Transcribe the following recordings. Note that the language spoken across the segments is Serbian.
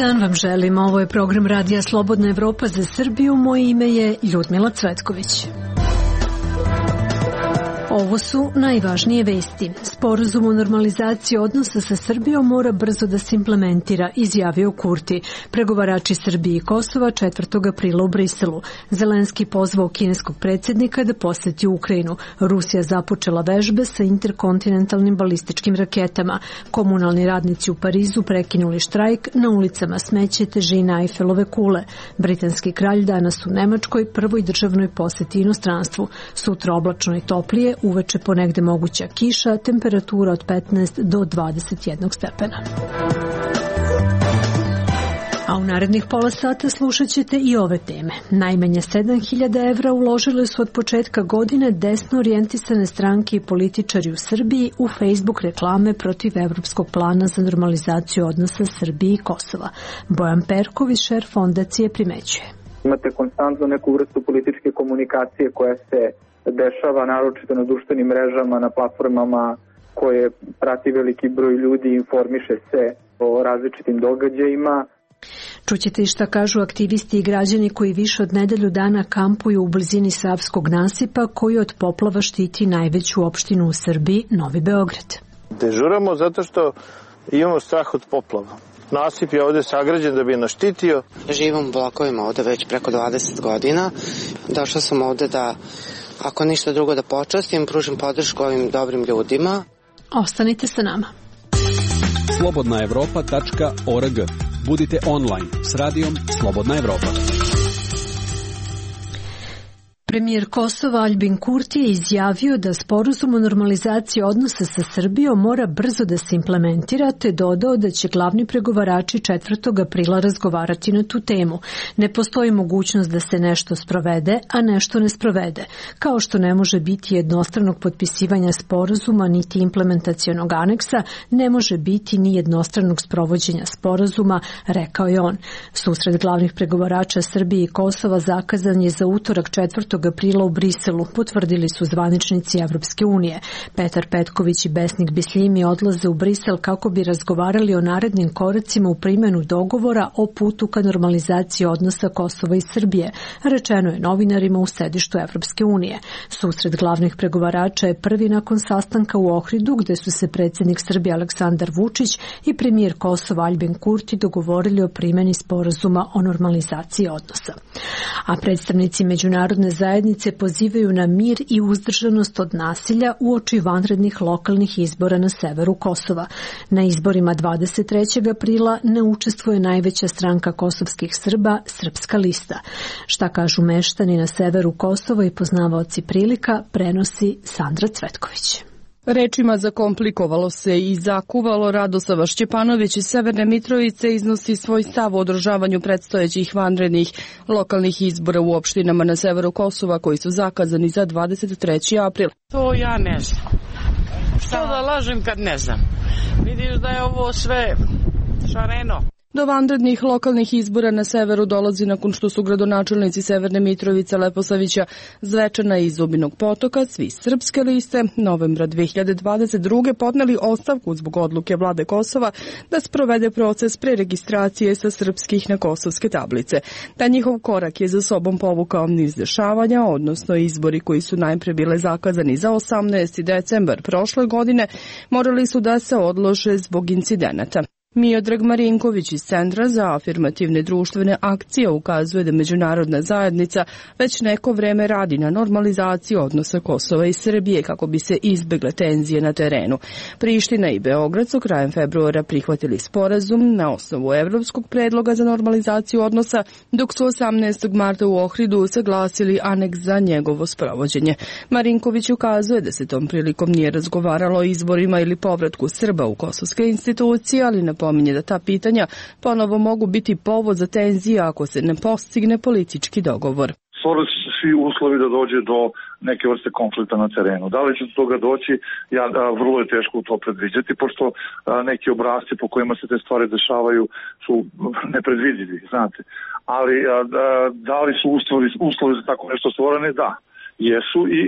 dan vam želim. Ovo je program Radija Slobodna Evropa za Srbiju. Moje ime je Ljudmila Cvetković. Ovo su najvažnije vesti. Sporazum o normalizaciji odnosa sa Srbijom mora brzo da se implementira, izjavio Kurti. Pregovarači Srbije i Kosova 4. aprila u Briselu. Zelenski pozvao kineskog predsjednika da poseti Ukrajinu. Rusija započela vežbe sa interkontinentalnim balističkim raketama. Komunalni radnici u Parizu prekinuli štrajk, na ulicama smeće, težina Eifelove kule. Britanski kralj danas u Nemačkoj prvoj državnoj poseti inostranstvu. Sutra oblačno i toplije, uveče ponegde moguća kiša, temperatura od 15 do 21 stepena. A u narednih pola sata slušat ćete i ove teme. Najmanje 7.000 evra uložile su od početka godine desno orijentisane stranke i političari u Srbiji u Facebook reklame protiv Evropskog plana za normalizaciju odnosa Srbije i Kosova. Bojan Perković, šef fondacije, primećuje. Imate konstantno neku vrstu političke komunikacije koja se dešava naročito na društvenim mrežama, na platformama koje prati veliki broj ljudi i informiše se o različitim događajima. Čućete i šta kažu aktivisti i građani koji više od nedelju dana kampuju u blizini Savskog nasipa koji od poplava štiti najveću opštinu u Srbiji, Novi Beograd. Dežuramo zato što imamo strah od poplava. Nasip je ovde sagrađen da bi nas štitio. Živim u blokovima ovde već preko 20 godina. Došla sam ovde da, ako ništa drugo, da počastim, pružim podršku ovim dobrim ljudima. Ostanite sa nama. slobodnaevropa.org. Budite online s radijom Slobodna Evropa. Premijer Kosova Aljbin Kurti je izjavio da sporazum o normalizaciji odnosa sa Srbijom mora brzo da se implementira, te dodao da će glavni pregovarači 4. aprila razgovarati na tu temu. Ne postoji mogućnost da se nešto sprovede, a nešto ne sprovede. Kao što ne može biti jednostranog potpisivanja sporazuma niti implementacionog aneksa, ne može biti ni jednostranog sprovođenja sporazuma, rekao je on. Susret glavnih pregovarača Srbije i Kosova zakazan je za utorak 4. aprila u Briselu, potvrdili su zvaničnici Evropske unije. Petar Petković i Besnik Bislimi odlaze u Brisel kako bi razgovarali o narednim koracima u primjenu dogovora o putu ka normalizaciji odnosa Kosova i Srbije, rečeno je novinarima u sedištu Evropske unije. Susret glavnih pregovarača je prvi nakon sastanka u Ohridu, gde su se predsjednik Srbije Aleksandar Vučić i premijer Kosova Aljbin Kurti dogovorili o primjeni sporazuma o normalizaciji odnosa. A predstavnici međunarodne zajednice pozivaju na mir i uzdržanost od nasilja uoči vanrednih lokalnih izbora na severu Kosova. Na izborima 23. aprila ne učestvuje najveća stranka kosovskih Srba, Srpska lista. Šta kažu meštani na severu Kosova i poznavaoci prilika, prenosi Sandra Cvetković. Rečima zakomplikovalo se i zakuvalo. Radosava Šćepanović iz Severne Mitrovice iznosi svoj stav o održavanju predstojećih vanrednih lokalnih izbora u opštinama na severu Kosova koji su zakazani za 23. april. To ja ne znam. Što da lažem kad ne znam? Vidiš da je ovo sve šareno. Do vanrednih lokalnih izbora na severu dolazi nakon što su gradonačelnici Severne Mitrovice, Leposavića, Zvečana i Zubinog Potoka, svi Srpske liste, novembra 2022. podneli ostavku zbog odluke vlade Kosova da sprovede proces preregistracije sa srpskih na kosovske tablice. Ta njihov korak je za sobom povukao niz dešavanja, odnosno izbori koji su najpre bile zakazani za 18. decembar prošle godine, morali su da se odlože zbog incidenata. Miodrag Marinković iz Centra za afirmativne društvene akcije ukazuje da međunarodna zajednica već neko vreme radi na normalizaciji odnosa Kosova i Srbije kako bi se izbegle tenzije na terenu. Priština i Beograd su krajem februara prihvatili sporazum na osnovu evropskog predloga za normalizaciju odnosa, dok su 18. marta u Ohridu saglasili aneks za njegovo sprovođenje. Marinković ukazuje da se tom prilikom nije razgovaralo o izborima ili povratku Srba u kosovske institucije, ali napominje da ta pitanja ponovo mogu biti povod za tenzije ako se ne postigne politički dogovor. Stvorili su svi uslovi da dođe do neke vrste konflikta na terenu. Da li će do toga doći, vrlo je teško to predviđati, pošto neki obrasci po kojima se te stvari dešavaju su nepredvidivi, znate. Ali da li su uslovi za tako nešto stvorene? Da, jesu i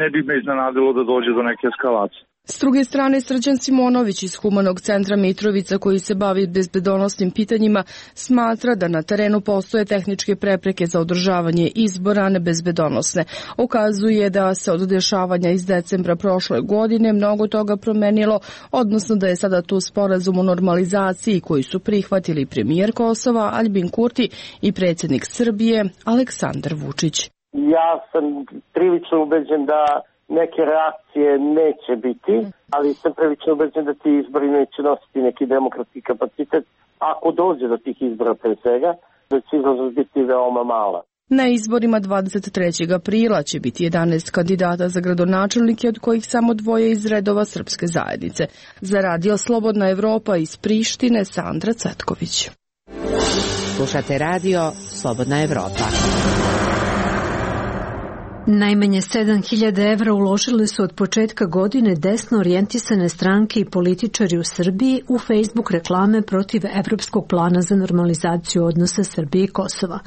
ne bi me iznenadilo da dođe do neke eskalacije. S druge strane, Srđan Simonović iz Humanog centra Mitrovica, koji se bavi bezbedonosnim pitanjima, smatra da na terenu postoje tehničke prepreke za održavanje izbora, ne bezbedonosne. Ukazuje da se od dešavanja iz decembra prošle godine mnogo toga promenilo, odnosno da je sada tu sporazum o normalizaciji koji su prihvatili premijer Kosova Aljbin Kurti i predsjednik Srbije Aleksandar Vučić. Ja sam prilično ubeđen da neke reakcije neće biti, ali sam prilično ubeđen da ti izbori neće nositi neki demokratski kapacitet. Ako dođe do tih izbora pre svega, da će izlaznost biti veoma mala. Na izborima 23. aprila će biti 11 kandidata za gradonačelnike, od kojih samo 2 iz redova srpske zajednice. Za Radio Slobodna Evropa iz Prištine, Sandra Cetković. Slušate Radio Slobodna Evropa. Najmanje 7.000 evra uložili su od početka godine desno orijentisane stranke i političari u Srbiji u Facebook reklame protiv Evropskog plana za normalizaciju odnosa Srbije i Kosova.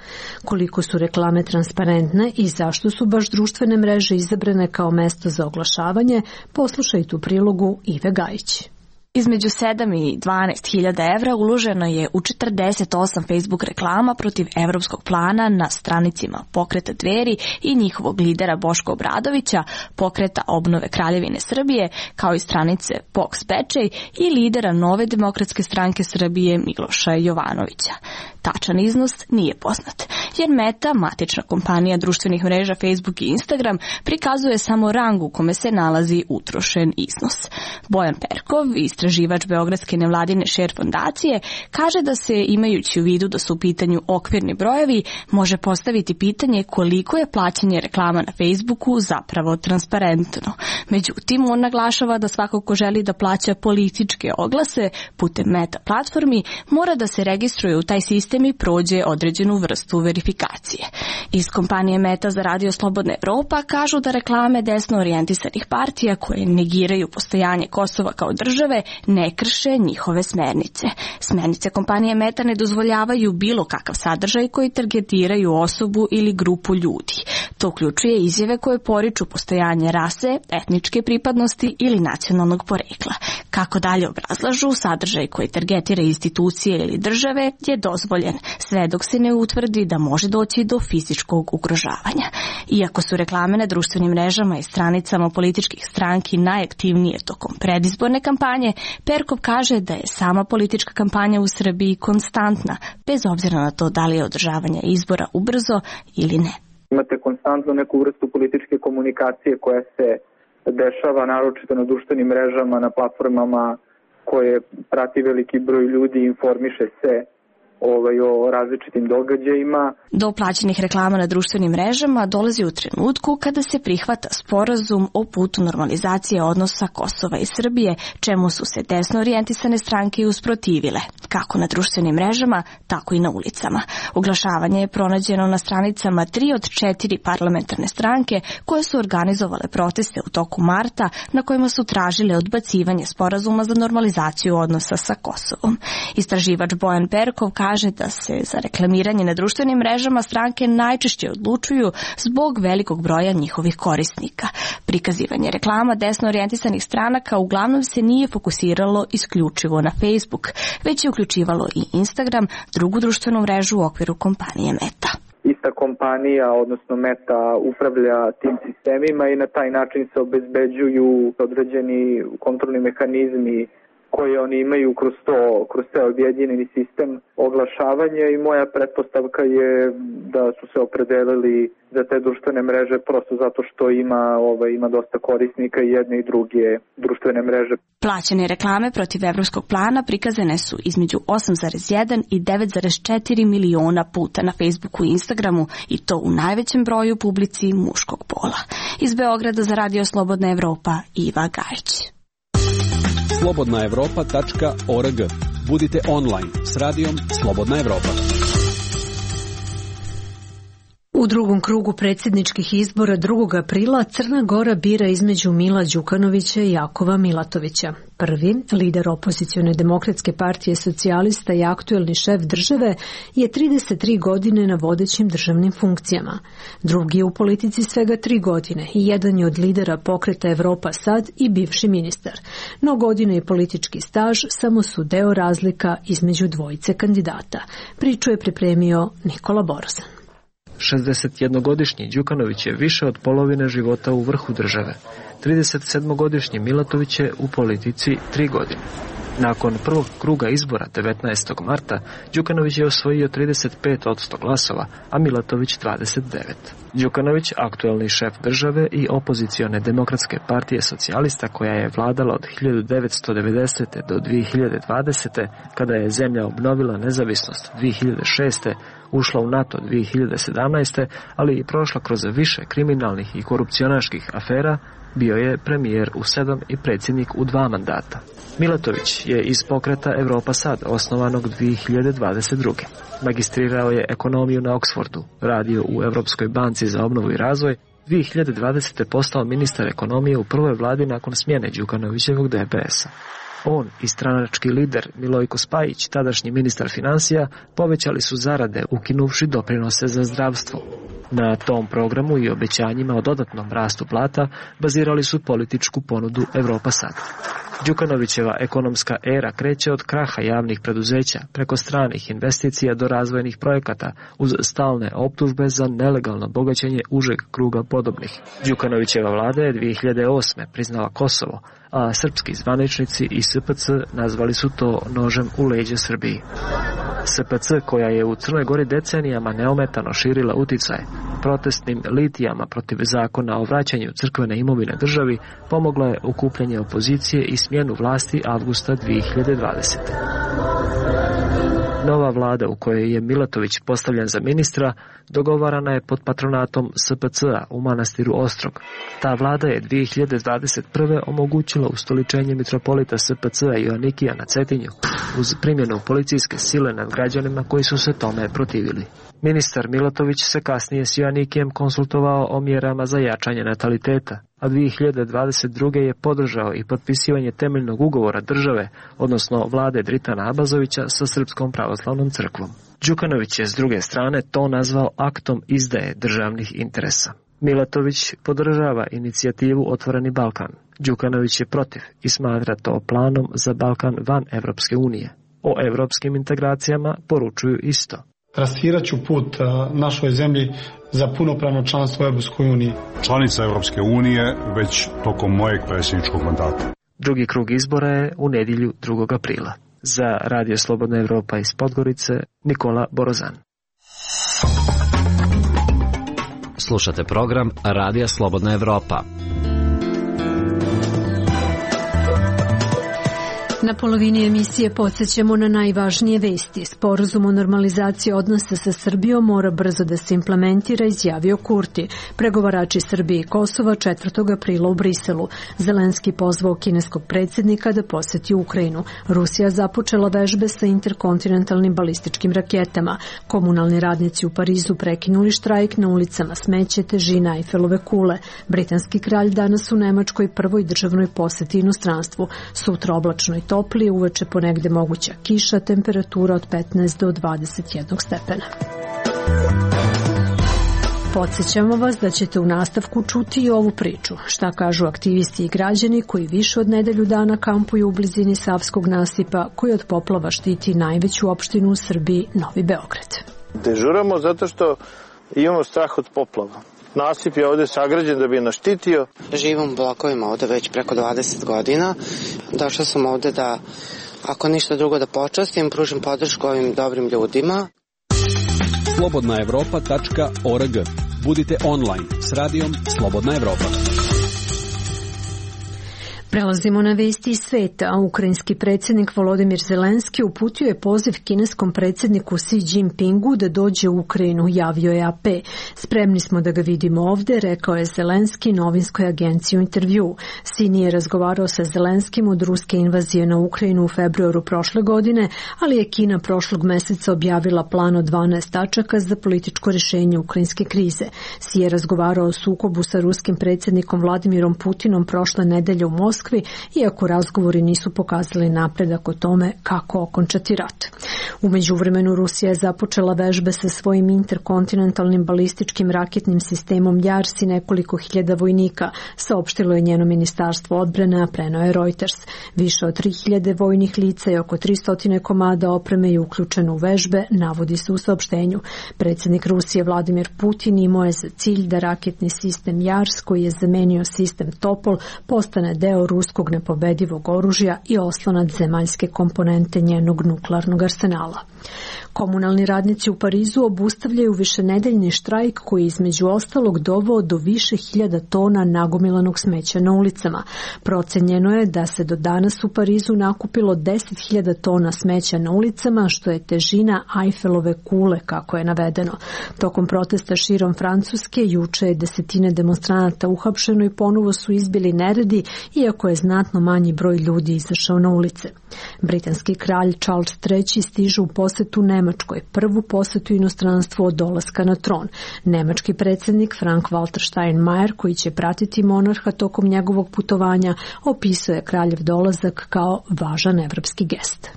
Koliko su reklame transparentne i zašto su baš društvene mreže izabrane kao mesto za oglašavanje, poslušajte u prilogu Ive Gajić. Između 7 i 12.000 evra uloženo je u 48 Facebook reklama protiv evropskog plana na stranicima Pokreta Dveri i njihovog lidera Boška Obradovića, Pokreta obnove Kraljevine Srbije, kao i stranice POKS Bečej i lidera Nove demokratske stranke Srbije Miloša Jovanovića. Tačan iznos nije poznat, jer Meta, matična kompanija društvenih mreža Facebook i Instagram, prikazuje samo rang u kome se nalazi utrošen iznos. Bojan Perkov, istraživač Beogradske nevladine Share fondacije, kaže da se, imajući u vidu da su u pitanju okvirni brojevi, može postaviti pitanje koliko je plaćanje reklama na Facebooku zapravo transparentno. Međutim, on naglašava da svako ko želi da plaća političke oglase putem Meta platformi mora da se registruje u taj sistem i prođe određenu vrstu verifikacije. Iz kompanije Meta za Radio Slobodna Evropa kažu da reklame desno orijentisanih partija koje negiraju postojanje Kosova kao države ne krše njihove smernice. Smernice kompanije Meta ne dozvoljavaju bilo kakav sadržaj koji targetiraju osobu ili grupu ljudi. To uključuje izjave koje poriču postojanje rase, etničke pripadnosti ili nacionalnog porekla. Kako dalje obrazlažu, sadržaj koji targetira institucije ili države je dozvoljen, sve dok se ne utvrdi da može doći do fizičkog ugrožavanja. Iako su reklame na društvenim mrežama i stranicama političkih stranki najaktivnije tokom predizborne kampanje, Perkov kaže da je sama politička kampanja u Srbiji konstantna, bez obzira na to da li je održavanje izbora ubrzo ili ne. Imate konstantno neku vrstu političke komunikacije koja se dešava naročito na društvenim mrežama, na platformama koje prati veliki broj ljudi i informiše se o različitim događajima. Do plaćenih reklama na društvenim mrežama dolazi u trenutku kada se prihvata sporazum o putu normalizacije odnosa Kosova i Srbije, čemu su se desno orijentisane stranke usprotivile, kako na društvenim mrežama, tako i na ulicama. Oglašavanje je pronađeno na stranicama 3 od 4 parlamentarne stranke koje su organizovale proteste u toku marta na kojima su tražile odbacivanje sporazuma za normalizaciju odnosa sa Kosovom. Istraživač Bojan Perkov kaže da se za reklamiranje na društvenim mrežama stranke najčešće odlučuju zbog velikog broja njihovih korisnika. Prikazivanje reklama desno orijentisanih stranaka uglavnom se nije fokusiralo isključivo na Facebook, već je uključivalo i Instagram, drugu društvenu mrežu u okviru kompanije Meta. Ista kompanija, odnosno Meta, upravlja tim sistemima i na taj način se obezbeđuju određeni kontrolni mehanizmi koje oni imaju kroz te objedinjeni sistem oglašavanja i moja pretpostavka je da su se opredelili za te društvene mreže prosto zato što ima dosta korisnika i jedne i druge društvene mreže. Plaćene reklame protiv evropskog plana prikazane su između 8,1 i 9,4 miliona puta na Facebooku i Instagramu i to u najvećem broju publici muškog pola. Iz Beograda za Radio Slobodna Evropa, Iva Gajić. slobodnaevropa.org. Budite online s radijom Slobodna Evropa. U U drugom krugu predsjedničkih izbora 2. aprila Crna Gora bira između Mila Đukanovića i Jakova Milatovića. Prvi, lider opozicione demokratske partije socijalista i aktuelni šef države, je 33 godine na vodećim državnim funkcijama. Drugi je u politici svega 3 godine i jedan je od lidera pokreta Evropa Sad i bivši ministar. No godine i politički staž samo su deo razlika između dvojice kandidata. Priču je pripremio Nikola Borzan. 61-godišnji Đukanović je više od polovine života u vrhu države. 37-godišnji Milatović je u politici 3 godine. Nakon prvog kruga izbora 19. marta, Đukanović je osvojio 35% glasova, a Milatović 29%. Đukanović, aktuelni šef države i opozicione demokratske partije socijalista koja je vladala od 1990. do 2020. kada je zemlja obnovila nezavisnost 2006. ušla u NATO 2017. ali i prošla kroz više kriminalnih i korupcionaških afera, bio je premijer u 7 i predsjednik u 2 mandata. Milatović je iz pokreta Evropa Sad, osnovanog 2022. Magistrirao je ekonomiju na Oxfordu, radio u Europskoj banci za obnovu i razvoj, 2020. postao ministar ekonomije u prvoj vladi nakon smjene Đukanovićevog DPS-a. On i stranački lider Milojko Spajić, tadašnji ministar financija, povećali su zarade ukinuvši doprinose za zdravstvo. Na tom programu i obećanjima o dodatnom rastu plata bazirali su političku ponudu Evropa Sad. Đukanovićeva ekonomska era kreće od kraha javnih preduzeća preko stranih investicija do razvojnih projekata uz stalne optužbe za nelegalno bogaćenje užeg kruga podobnih. Đukanovićeva vlada je 2008. priznala Kosovo, a srpski zvaničnici i SPC nazvali su to nožem u leđa Srbiji. SPC, koja je u Crnoj Gori decenijama neometano širila uticaje, protestnim litijama protiv zakona o vraćanju crkvene imovine državi, pomogla je okupljanje opozicije i smjenu vlasti avgusta 2020. Nova vlada u kojoj je Milatović postavljen za ministra dogovarana je pod patronatom SPC-a u manastiru Ostrog. Ta vlada je 2021. omogućila ustoličenje mitropolita SPC-a Joanikija na Cetinju uz primjenu policijske sile nad građanima koji su se tome protivili. Ministar Milatović se kasnije s Joanikijem konsultovao o mjerama za jačanje nataliteta, a 2022. je podržao i potpisivanje temeljnog ugovora države, odnosno vlade Dritana Abazovića sa Srpskom pravoslavnom crkvom. Đukanović je s druge strane to nazvao aktom izdaje državnih interesa. Milatović podržava inicijativu Otvoreni Balkan. Đukanović je protiv i smatra to planom za Balkan van Evropske unije. O evropskim integracijama poručuju isto. Trasirat ću put našoj zemlji za punopravno članstvo u Evropskoj uniji. Članica Evropske unije već tokom mojeg predsjedničkog mandata. Drugi krug izbora je u nedjelju 2. aprila. Za Radio Slobodna Evropa iz Podgorice, Nikola Borzan. Slušate program Radija Slobodna Evropa. Na polovini emisije podsjećamo na najvažnije vesti. Sporazum o normalizaciji odnosa sa Srbijom mora brzo da se implementira, izjavio Kurti. Pregovarači Srbije i Kosova 4. aprila u Briselu. Zelenski pozvao kineskog predsjednika da posjeti Ukrajinu. Rusija započela vežbe sa interkontinentalnim balističkim raketama. Komunalni radnici u Parizu prekinuli štrajk na ulicama smeće, težina Eifelove kule. Britanski kralj danas u Nemačkoj prvoj državnoj posjeti inostranstvu. Sutra oblačno i toplije, uveče ponegde moguća kiša, temperatura od 15 do 21 stepena. Podsjećamo vas da ćete u nastavku čuti i ovu priču. Šta kažu aktivisti i građani koji više od nedelju dana kampuju u blizini Savskog nasipa koji od poplava štiti najveću opštinu u Srbiji, Novi Beograd. Dežuramo zato što imamo strah od poplava. Nasip je ovde sagrađen da bi nas štitio. Živim u blokovima ovde već preko 20 godina. Došla sam ovde da, ako ništa drugo, da počastim, pružim podršku ovim dobrim ljudima. slobodnaevropa.org. Budite online s radijom Slobodna Evropa. Prelazimo na vesti iz sveta. Ukrajinski predsjednik Volodimir Zelenski uputio je poziv kineskom predsjedniku Xi Jinpingu da dođe u Ukrajinu, javio je AP. Spremni smo da ga vidimo ovde, rekao je Zelenski novinskoj agenciji u intervju. Xi nije razgovarao sa Zelenskim od ruske invazije na Ukrajinu u februaru prošle godine, ali je Kina prošlog meseca objavila plan od 12 tačaka za političko rješenje ukrajinske krize. Xi je razgovarao o sukobu sa ruskim predsjednikom Vladimirom Putinom prošle nedelje u Moskvi, iako razgovori nisu pokazali napredak o tome kako okončati rat. U međuvremenu Rusija je započela vežbe sa svojim interkontinentalnim balističkim raketnim sistemom JARS i nekoliko hiljada vojnika, saopštilo je njeno ministarstvo odbrane, a preneo je Reuters. Više od 3000 vojnih lica i oko 300 komada opreme je uključeno u vežbe, navodi se u saopštenju. Predsjednik Rusije Vladimir Putin imao je za cilj da raketni sistem JARS, koji je zamenio sistem Topol, postane deo ruskog nepobedivog oružja i oslonac zemaljske komponente njenog nuklearnog arsenala. Komunalni radnici u Parizu obustavljaju višenedeljni štrajk koji je između ostalog doveo do više hiljada tona nagomilanog smeća na ulicama. Procenjeno je da se do danas u Parizu nakupilo 10.000 tona smeća na ulicama, što je težina Eiffelove kule, kako je navedeno. Tokom protesta širom Francuske juče je desetine demonstranata uhapšeno i ponovo su izbili neredi, iako je znatno manji broj ljudi izašao na ulice. Britanski kralj Charles III stiže u posetu Nemačkoj, prvu posetu inostranstvu od dolaska na tron. Nemački predsjednik Frank-Walter Steinmeier, koji će pratiti monarha tokom njegovog putovanja, opisuje kraljev dolazak kao važan evropski gest.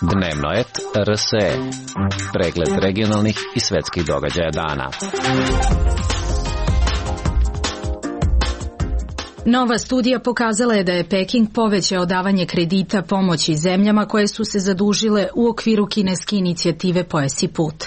Dnevnoet RSE. Pregled regionalnih i svetskih događaja dana. Nova studija pokazala je da je Peking povećao davanje kredita pomoći zemljama koje su se zadužile u okviru kineske inicijative Pojas i put.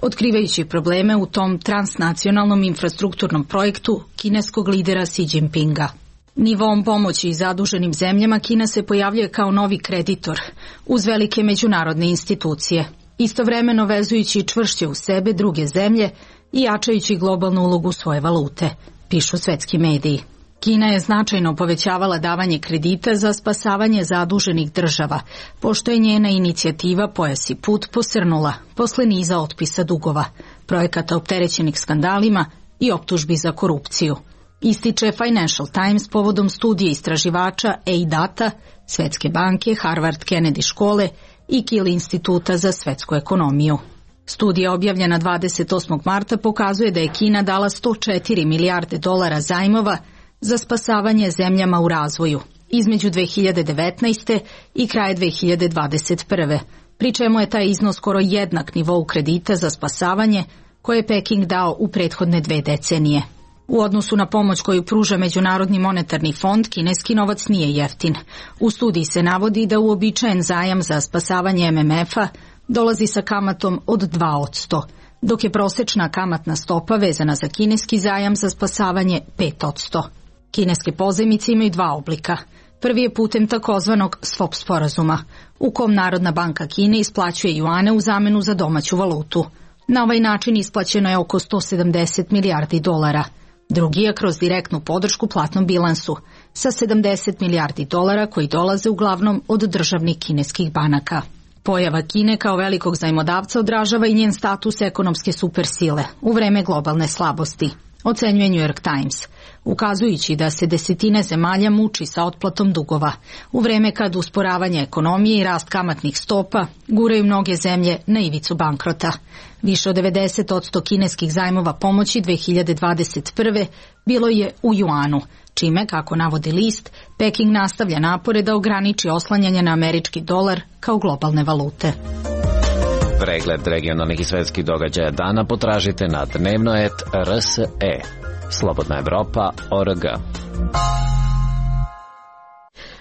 Otkrivajući probleme u tom transnacionalnom infrastrukturnom projektu kineskog lidera Xi Jinpinga. Nivom pomoći zaduženim zemljama Kina se pojavljuje kao novi kreditor uz velike međunarodne institucije, istovremeno vezujući čvršće u sebe druge zemlje i jačajući globalnu ulogu svoje valute, pišu svetski mediji. Kina je značajno povećavala davanje kredita za spasavanje zaduženih država, pošto je njena inicijativa Pojas i put posrnula posle niza otpisa dugova, projekata opterećenih skandalima i optužbi za korupciju. Ističe Financial Times povodom studije istraživača EIDATA, Svetske banke, Harvard Kennedy škole i Kiel instituta za svetsku ekonomiju. Studija objavljena 28. marta pokazuje da je Kina dala 104 milijarde dolara zajmova za spasavanje zemljama u razvoju između 2019. i kraja 2021. pri čemu je taj iznos skoro jednak nivou kredita za spasavanje koje je Peking dao u prethodne 2 decenije. U odnosu na pomoć koju pruža Međunarodni monetarni fond, kineski novac nije jeftin. U studiji se navodi da uobičajen zajam za spasavanje MMF-a dolazi sa kamatom od 2%, dok je prosečna kamatna stopa vezana za kineski zajam za spasavanje 5%. Kineske pozajmice imaju 2 oblika. Prvi je putem takozvanog swap sporazuma, u kom Narodna banka Kine isplaćuje juane u zamenu za domaću valutu. Na ovaj način isplaćeno je oko 170 milijardi dolara. Drugi je kroz direktnu podršku platnom bilansu, sa 70 milijardi dolara koji dolaze uglavnom od državnih kineskih banaka. Pojava Kine kao velikog zajmodavca odražava i njen status ekonomske supersile u vreme globalne slabosti, ocenjuje New York Times, ukazujući da se desetine zemalja muči sa otplatom dugova, u vreme kad usporavanje ekonomije i rast kamatnih stopa guraju mnoge zemlje na ivicu bankrota. Više od 90% kineskih zajmova pomoći 2021. bilo je u juanu, čime, kako navodi list, Peking nastavlja napore da ograniči oslanjanje na američki dolar kao globalne valute. Pregled regionalnih i svetskih događaja dana potražite na dnevnoet.rse. Slobodna Evropa.org.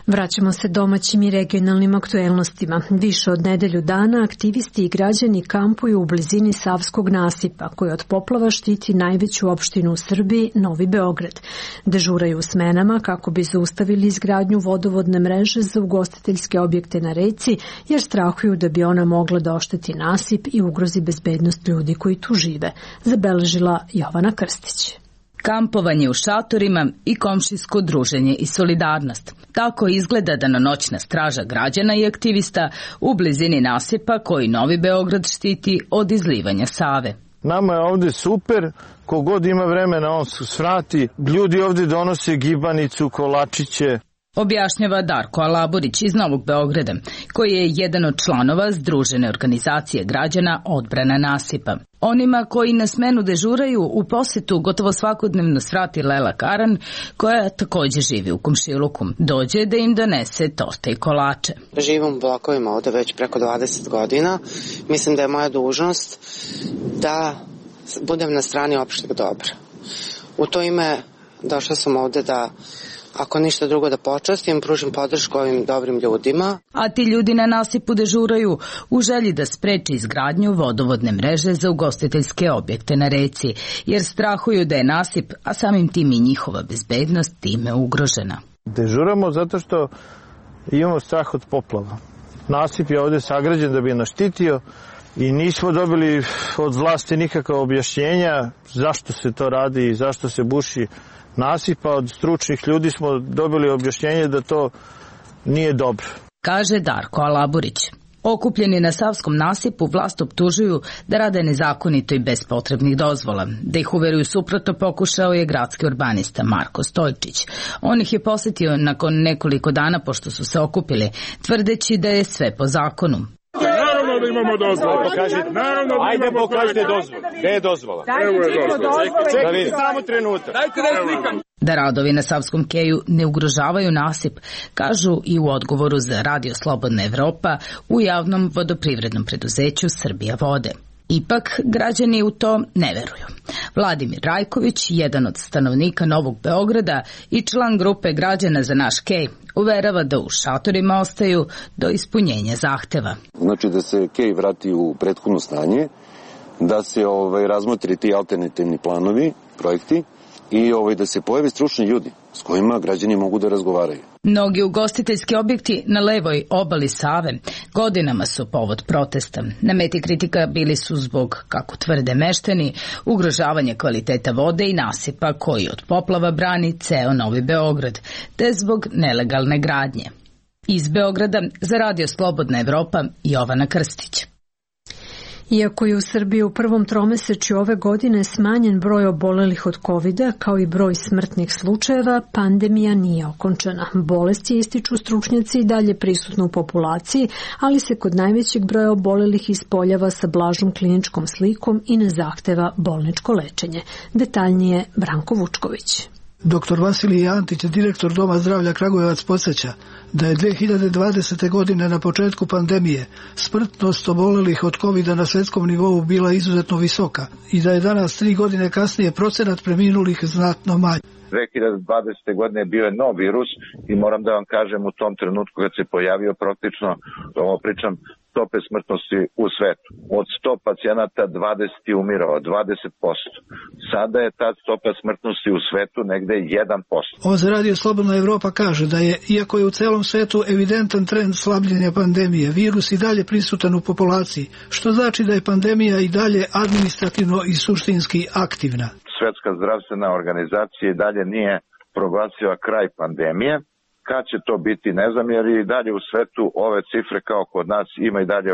Vraćamo se domaćim i regionalnim aktuelnostima. Više od nedelju dana aktivisti i građani kampuju u blizini Savskog nasipa, koji od poplava štiti najveću opštinu u Srbiji, Novi Beograd. Dežuraju u smenama kako bi zaustavili izgradnju vodovodne mreže za ugostiteljske objekte na reci, jer strahuju da bi ona mogla da ošteti nasip i ugrozi bezbednost ljudi koji tu žive, zabeležila Jovana Krstić. kampovanje u šatorima i komšijsko druženje i solidarnost. Tako izgleda danonoćna straža građana i aktivista u blizini nasipa koji Novi Beograd štiti od izlivanja Save. Nama je ovde super, kogod ima vremena on se svrati. Ljudi ovde donose gibanicu, kolačiće. Objašnjava Darko Alaburić iz Novog Beograda, koji je jedan od članova Združene organizacije građana Odbrana nasipa. Onima koji na smenu dežuraju u posetu gotovo svakodnevno svrati Lela Karan, koja takođe živi u komšiluku. Dođe da im donese torte i kolače. Živim u blokovima ovde već preko 20 godina. Mislim da je moja dužnost da budem na strani opšteg dobra. U to ime došla sam ovde da, ako ništa drugo, da počastim, pružim podršku ovim dobrim ljudima. A ti ljudi na nasipu dežuraju u želji da spreči izgradnju vodovodne mreže za ugostiteljske objekte na reci, jer strahuju da je nasip, a samim tim i njihova bezbednost time ugrožena. Dežuramo zato što imamo strah od poplava. Nasip je ovde sagrađen da bi nas štitio i nismo dobili od vlasti nikakva objašnjenja zašto se to radi i zašto se buši nasipa. Od stručnih ljudi smo dobili objašnjenje da to nije dobro. Kaže Darko Alaburić. Okupljeni na Savskom nasipu vlast optužuju da rade nezakonito i bez potrebnih dozvola. Da ih uveruju suprotno pokušao je gradski urbanista Marko Stojčić. On ih je posetio nakon nekoliko dana pošto su se okupili, tvrdeći da je sve po zakonu. Naravno da imamo dozvolu. Ajde pokažite dozvolu. Gde je dozvola? Evo je dozvola. Čekajte samo trenutak. Dajte da slikam. Da radovi na Savskom keju ne ugrožavaju nasip, kažu i u odgovoru za Radio Slobodna Evropa u javnom vodoprivrednom preduzeću Srbija vode. Ipak, građani u to ne veruju. Vladimir Rajković, jedan od stanovnika Novog Beograda i član grupe građana za naš kej, uverava da u šatorima ostaju do ispunjenja zahteva. Znači da se kej vrati u prethodno stanje, da se razmotri ti alternativni planovi, projekti i da se pojave stručni ljudi s kojima građani mogu da razgovaraju. Mnogi ugostiteljski objekti na levoj obali Save godinama su povod protesta. Na meti kritika bili su zbog, kako tvrde meštani, ugrožavanja kvaliteta vode i nasipa koji od poplava brani ceo Novi Beograd, te zbog nelegalne gradnje. Iz Beograda za Radio Slobodna Evropa, Jovana Krstić. Iako je u Srbiji u prvom tromesečju ove godine smanjen broj obolelih od COVID-a, kao i broj smrtnih slučajeva, pandemija nije okončana. Bolest je, ističu stručnjaci, i dalje prisutna u populaciji, ali se kod najvećeg broja obolelih ispoljava sa blažom kliničkom slikom i ne zahteva bolničko lečenje. Detaljnije Branko Vučković. Dr. Vasilij Antić, direktor Doma zdravlja Kragujevac, podsjeća da je 2020. godine na početku pandemije smrtnost obolelih od COVID-a na svetskom nivou bila izuzetno visoka i da je danas 3 godine kasnije procenat preminulih znatno manji. 2020. godine bio je nov virus i moram da vam kažem, u tom trenutku kad se pojavio, praktično, ovo pričam, stope smrtnosti u svetu. Od 100 pacijenata 20 je umirao, 20%. Sada je ta stopa smrtnosti u svetu negde 1%. Ovo za Radio Slobodna Evropa kaže da je, iako je u celom svetu evidentan trend slabljenja pandemije, virus i dalje prisutan u populaciji, što znači da je pandemija i dalje administrativno i suštinski aktivna. Svetska zdravstvena organizacija i dalje nije proglasila kraj pandemije. Kad će to biti, ne znam, jer i dalje u svetu ove cifre kao kod nas ima i dalje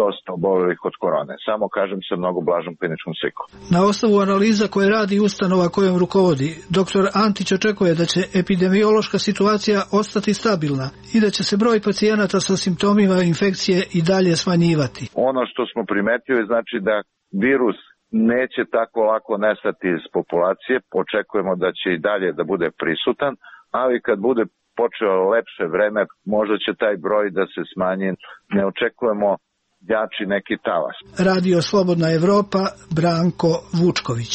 dosta obolelih od korone. Samo kažem sa mnogo blažom kliničkom slikom. Na osnovu analiza koje radi ustanova kojom rukovodi, dr. Antić očekuje da će epidemiološka situacija ostati stabilna i da će se broj pacijenata sa simptomima infekcije i dalje smanjivati. Ono što smo primetili znači da virus neće tako lako nestati iz populacije. Očekujemo da će i dalje da bude prisutan, ali kad bude počeo lepše vreme, možda će taj broj da se smanji. Ne očekujemo jači neki talas. Radio Slobodna Evropa, Branko Vučković.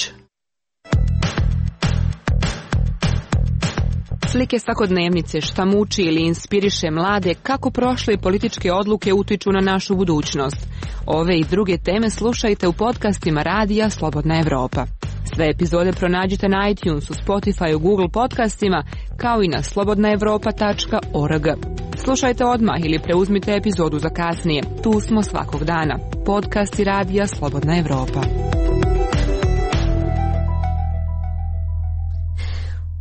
Slike svakodnevnice, šta muči ili inspiriše mlade, kako prošle političke odluke utiču na našu budućnost. Ove i druge teme slušajte u podcastima Radija Slobodna Evropa. Sve epizode pronađite na iTunesu, Spotifyu, Google podcastima, kao i na slobodnaevropa.org. Slušajte odmah ili preuzmite epizodu za kasnije. Tu smo svakog dana. Podcasti Radija Slobodna Evropa.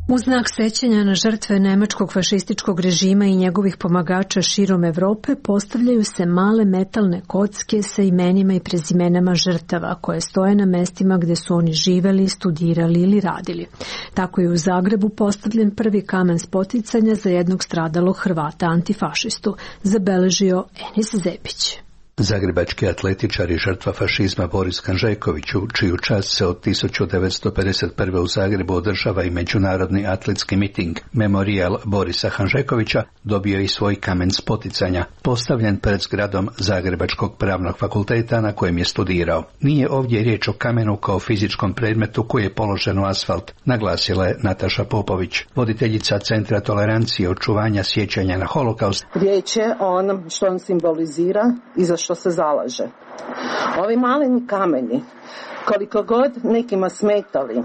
U znak sećanja na žrtve nemačkog fašističkog režima i njegovih pomagača širom Evrope postavljaju se male metalne kocke sa imenima i prezimenama žrtava koje stoje na mestima gde su oni živeli, studirali ili radili. Tako je u Zagrebu postavljen prvi kamen spoticanja za jednog stradalog Hrvata antifašistu, zabeležio Enis Zebić. Zagrebački atletičar i žrtva fašizma Boris Hanžeković, čiju čast se od 1951. u Zagrebu održava i međunarodni atletski miting Memorijal Borisa Hanžekovića, dobio i svoj kamen spoticanja, postavljen pred zgradom Zagrebačkog pravnog fakulteta na kojem je studirao. Nije ovdje riječ o kamenu kao fizičkom predmetu koji je položen u asfalt, naglasila je Nataša Popović, voditeljica Centra tolerancije i očuvanja sjećanja na holokaust. Riječ je o onom što on simbolizira i za što se zalaže. Ovi maleni kameni, koliko god nekima smetali,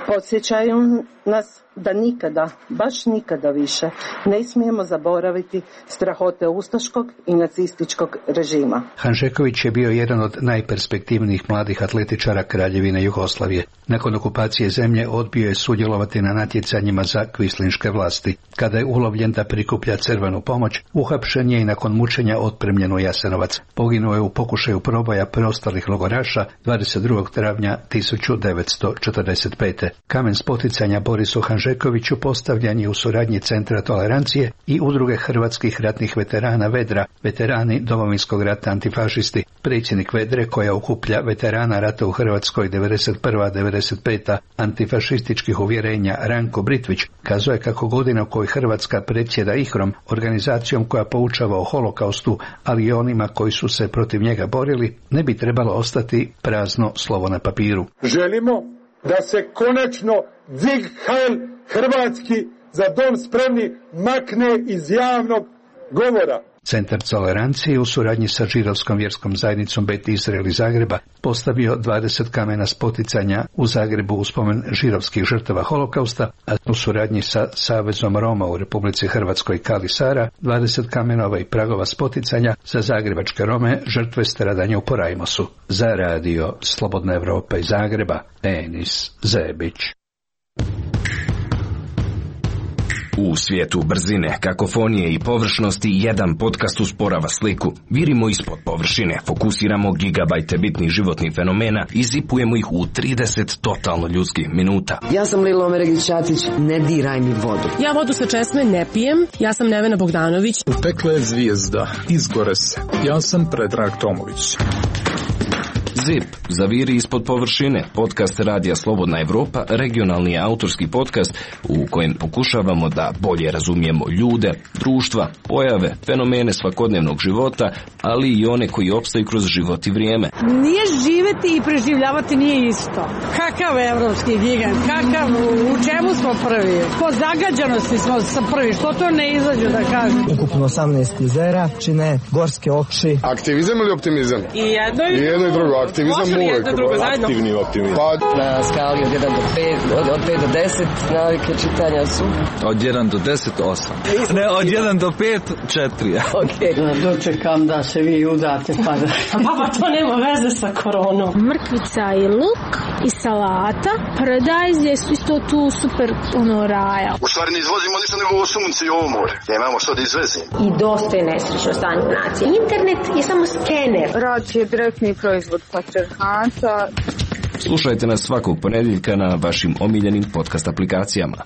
podsjećaju nas da nikada, baš nikada više, ne smijemo zaboraviti strahote ustaškog i nacističkog režima. Hanžeković je bio jedan od najperspektivnijih mladih atletičara Kraljevine Jugoslavije. Nakon okupacije zemlje odbio je sudjelovati na natjecanjima za kvislinške vlasti. Kada je ulovljen da prikuplja crvenu pomoć, uhapšen je i nakon mučenja otpremljen u Jasenovac. Poginuo je u pokušaju proboja preostalih logoraša 22. travnja 1945. Kamen spoticanja Borisu Hanžekoviću postavljan je u suradnji Centra tolerancije i Udruge hrvatskih ratnih veterana Vedra, veterani Domovinskog rata antifašisti. Predsjednik Vedre, koja okuplja veterana rata u Hrvatskoj 91-95 antifašističkih uvjerenja, Ranko Britvić, kazuje kako godina u kojoj Hrvatska predsjeda IHROM, organizacijom koja poučava o holokaustu, ali i onima koji su se protiv njega borili, ne bi trebalo ostati prazno slovo na papiru. Želimo da se konačno Zig Heil hrvatski za dom spremni makne iz javnog govora. Centar tolerancije u suradnji sa židovskom vjerskom zajednicom Bet Izrael iz Zagreba postavio 20 kamena spoticanja u Zagrebu u spomen židovskih žrtava holokausta, a u suradnji sa Savezom Roma u Republici Hrvatskoj Kali Sara 20 kamenova i pragova spoticanja za zagrebačke Rome žrtve stradanja u Porajmosu. Za radio Slobodna Evropa iz Zagreba, Enis Zebić. U svijetu brzine, kakofonije i površnosti jedan podcast usporava sliku. Virimo ispod površine, fokusiramo gigabajte bitnih životnih fenomena i zipujemo ih u 30 totalno ljudskih minuta. Ja sam Lilo Omeregić-Ćatić, ne diraj mi vodu. Ja vodu sa česme ne pijem, ja sam Nevena Bogdanović. Pekla je zvijezda, izgore se. Ja sam Predrag Tomović. ZIP, zaviri ispod površine, podcast Radija Slobodna Evropa, regionalni autorski podcast u kojem pokušavamo da bolje razumijemo ljude, društva, pojave, fenomene svakodnevnog života, ali i one koji opstaju kroz život i vrijeme. Nije živeti i preživljavati nije isto. Kakav evropski gigant, kakav, u čemu smo prvi? Po zagađanosti smo prvi, što to ne izađu da kažem? Ukupno 18 jezera, čine gorske okši. Aktivizam ili optimizam? I jedno i drugo. Aktivizam uvijek. Aktivni optimizam. Na skali od 1 do 5, od 5 do 10 navike čitanja su. Od 1 do 10, 8. Ne, od 1 do 5, 4. Ok, dočekam da se vi udate pa da... Baba, to nema veze sa koronom. Mrkvica i luk i salata. Paradajz je isto tu super raja. U stvari ne izvozimo ništa nego ovo sunce i ovo more. Nemamo što da izvezimo. I dosta je nesrećno stanje nacije. Internet je samo skener. Rad je direktni proizvod patrijarhata. Slušajte nas svakog ponedjeljka na vašim omiljenim podcast aplikacijama.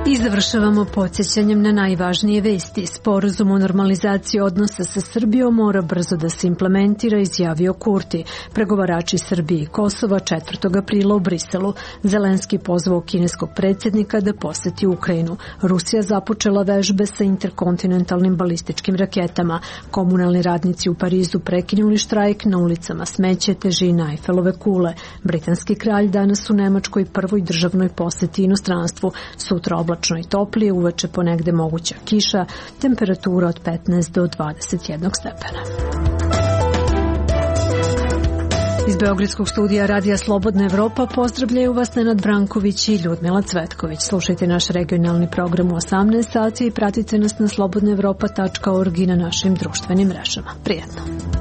I završavamo podsjećanjem na najvažnije vesti. Sporazum o normalizaciji odnosa sa Srbijom mora brzo da se implementira, izjavio Kurti. Pregovarači Srbije i Kosova 4. aprila u Briselu. Zelenski pozvao kineskog predsjednika da poseti Ukrajinu. Rusija započela vežbe sa interkontinentalnim balističkim raketama. Komunalni radnici u Parizu prekinuli štrajk, na ulicama smeće, težina Eifelove kule. Britanski kralj danas u Nemačkoj prvoj državnoj poseti inostranstvu. Sutra oblačno i toplije, uveče ponegde moguća kiša, temperatura od 15 do 21 stepena. Iz Beogradskog studija Radija Slobodna Evropa pozdravljaju vas Nenad Branković i Ljudmila Cvetković. Slušajte naš regionalni program u 18 sati i pratite nas na slobodnaevropa.org i na našim društvenim mrežama. Prijetno!